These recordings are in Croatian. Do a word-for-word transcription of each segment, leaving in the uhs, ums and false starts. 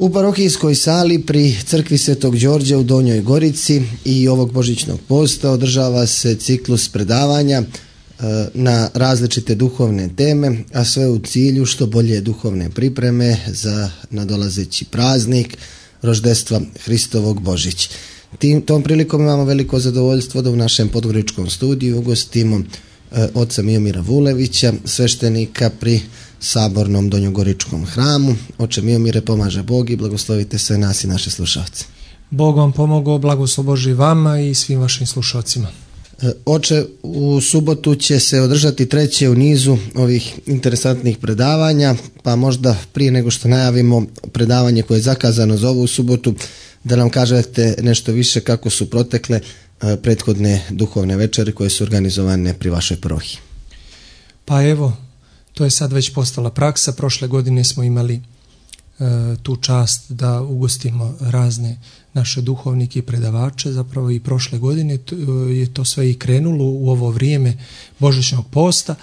U parohijskoj sali pri crkvi Svetog Đorđa u Donjoj Gorici i ovog božićnog posta održava se ciklus predavanja na različite duhovne teme, a sve u cilju što bolje duhovne pripreme za nadolazeći praznik roždestva Hristovog Božić. Tim, tom prilikom imamo veliko zadovoljstvo da u našem podgoričkom studiju ugostimo e, oca Miomira Vulevića, sveštenika pri Sabornom Donjogoričkom hramu. Oče Miomire, pomaže Bog i blagoslovite sve nas i naše slušalce. Bog vam pomogao, blagoslov Božji vama i svim vašim slušalcima. E, oče, u subotu će se održati treće u nizu ovih interesantnih predavanja, pa možda prije nego što najavimo predavanje koje je zakazano za ovu subotu, da nam kažete nešto više kako su protekle e, prethodne duhovne večeri koje su organizovane pri vašoj parohiji. Pa evo, to je sad već postala praksa. Prošle godine smo imali e, tu čast da ugostimo razne naše duhovnike i predavače. Zapravo i prošle godine to, je to sve i krenulo u ovo vrijeme božićnog posta.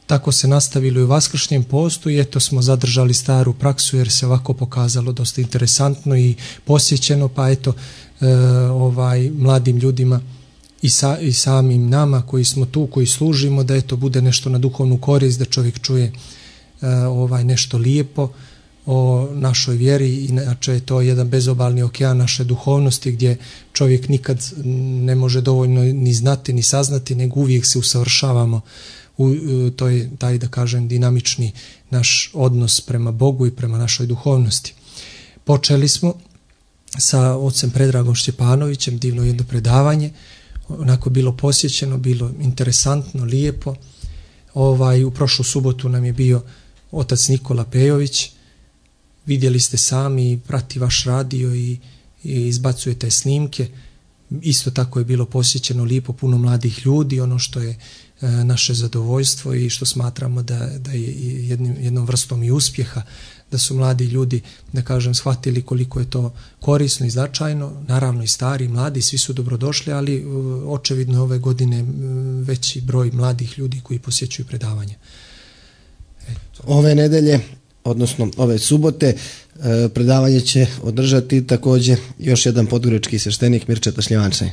Tako se nastavilo i u vaskršnjem postu i eto smo zadržali staru praksu jer se ovako pokazalo dosta interesantno i posjećeno, pa eto e, ovaj mladim ljudima i, sa, i samim nama koji smo tu, koji služimo, da eto bude nešto na duhovnu korist, da čovjek čuje e, ovaj nešto lijepo o našoj vjeri. Inače je to jedan bezobalni okean naše duhovnosti gdje čovjek nikad ne može dovoljno ni znati ni saznati, nego uvijek se usavršavamo. U, to je taj, da kažem, dinamični naš odnos prema Bogu i prema našoj duhovnosti. Počeli smo sa ocem Predragom Šćepanovićem, divno jedno predavanje, onako bilo posjećeno, bilo interesantno, lijepo. Ovaj, u prošlu subotu nam je bio otac Nikola Pejović, vidjeli ste sami, prati vaš radio i, i izbacujete snimke. Isto tako je bilo posjećeno, lijepo, puno mladih ljudi, ono što je naše zadovoljstvo i što smatramo da, da je jednim, jednom vrstom i uspjeha, da su mladi ljudi, da kažem, shvatili koliko je to korisno i značajno. Naravno i stari, i mladi, svi su dobrodošli, ali očevidno ove godine veći broj mladih ljudi koji posjećuju predavanje. Eto. Ove nedelje, odnosno ove subote, predavanje će održati također još jedan podgorički sveštenik, Mirčeta Šljivančaj.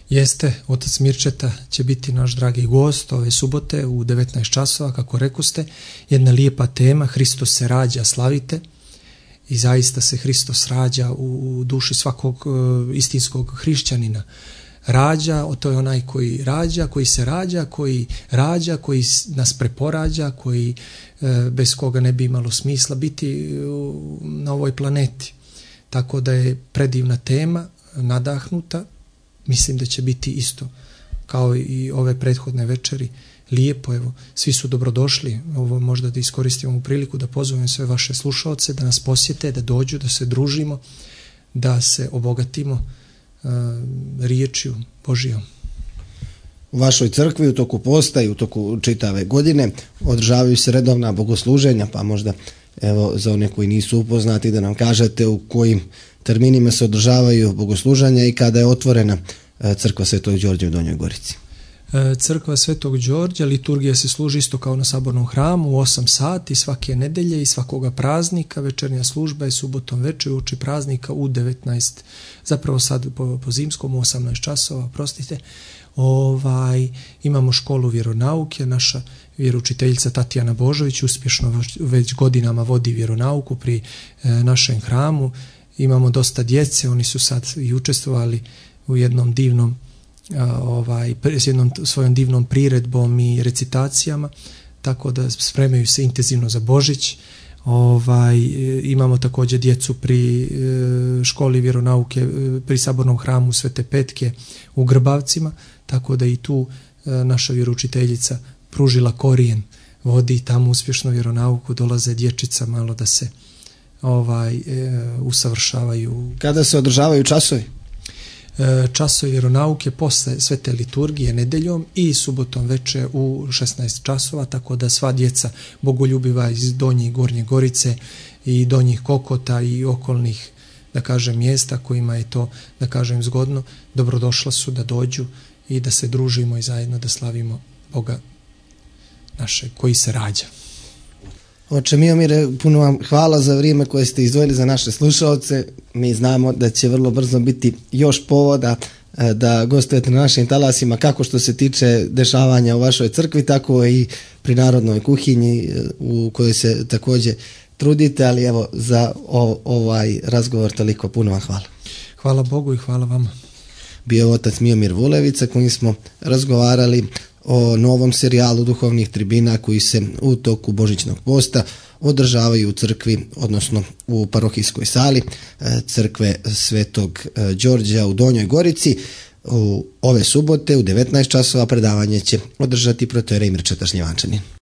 Jeste, otac Mirčeta će biti naš dragi gost ove subote u devetnaest časova, kako rekoste. Jedna lijepa tema, Hristos se rađa, slavite. I zaista se Hristos rađa u duši svakog uh, istinskog hrišćanina. Rađa, to je onaj koji rađa, koji se rađa, koji rađa, koji nas preporađa, koji uh, bez koga ne bi imalo smisla biti uh, na ovoj planeti. Tako da je predivna tema, nadahnuta. Mislim da će biti isto kao i ove prethodne večeri lijepo. Evo, svi su dobrodošli. Ovo možda da iskoristimo u priliku da pozovem sve vaše slušaoce da nas posjete, da dođu, da se družimo, da se obogatimo uh, riječju Božijom. U vašoj crkvi u toku posta i u toku čitave godine održavaju se redovna bogosluženja, pa možda evo za one koji nisu upoznati da nam kažete u kojim terminima se održavaju bogosluženja i kada je otvorena crkva Svetog Đorđa u Donjoj Gorici. Crkva Svetog Đorđa, liturgija se služi isto kao na Sabornom hramu u osam sati svake nedelje i svakoga praznika. Večernja služba je subotom večer uoči praznika u devetnaest, zapravo sad po, po zimskom u osamnaest časova, prostite. Ovaj, imamo školu vjeronauke, naša vjeroučiteljica Tatjana Božović uspješno već godinama vodi vjeronauku pri e, našem hramu. Imamo dosta djece, oni su sad i učestvovali u jednom divnom, a, ovaj, s jednom svojom divnom priredbom i recitacijama, tako da spremaju se intenzivno za Božić. Ovaj, imamo također djecu pri e, školi vjeronauke e, pri Sabornom hramu Svete Petke u Grbavcima, tako da i tu e, naša vjeroučiteljica pružila korijen, vodi tamo uspješno vjeronauku, dolaze dječica malo da se ovaj e, usavršavaju. Kada se održavaju časovi? E, časovi vjeronauke posle svete liturgije nedeljom i subotom veče u šesnaest časova, tako da sva djeca bogoljubiva iz Donje i Gornje Gorice i Donjih Kokota i okolnih, da kažem, mjesta kojima je to, da kažem, zgodno, dobrodošla su da dođu i da se družimo i zajedno da slavimo Boga našeg koji se rađa. Oče Miomire, puno vam hvala za vrijeme koje ste izdvojili za naše slušalce. Mi znamo da će vrlo brzo biti još povoda da gostujete na našim talasima, kako što se tiče dešavanja u vašoj crkvi, tako i pri narodnoj kuhinji u kojoj se također trudite, ali evo za ovaj razgovor toliko, puno vam hvala. Hvala Bogu i hvala vama. Bio otac Miomir Vulevica, kojim smo razgovarali o novom serijalu duhovnih tribina koji se u toku Božićnog posta održavaju u crkvi, odnosno u parohijskoj sali crkve Svetog Đorđa u Donjoj Gorici. U ove subote u devetnaest časova predavanje će održati protoijerej Mirčeta Šljivančanin.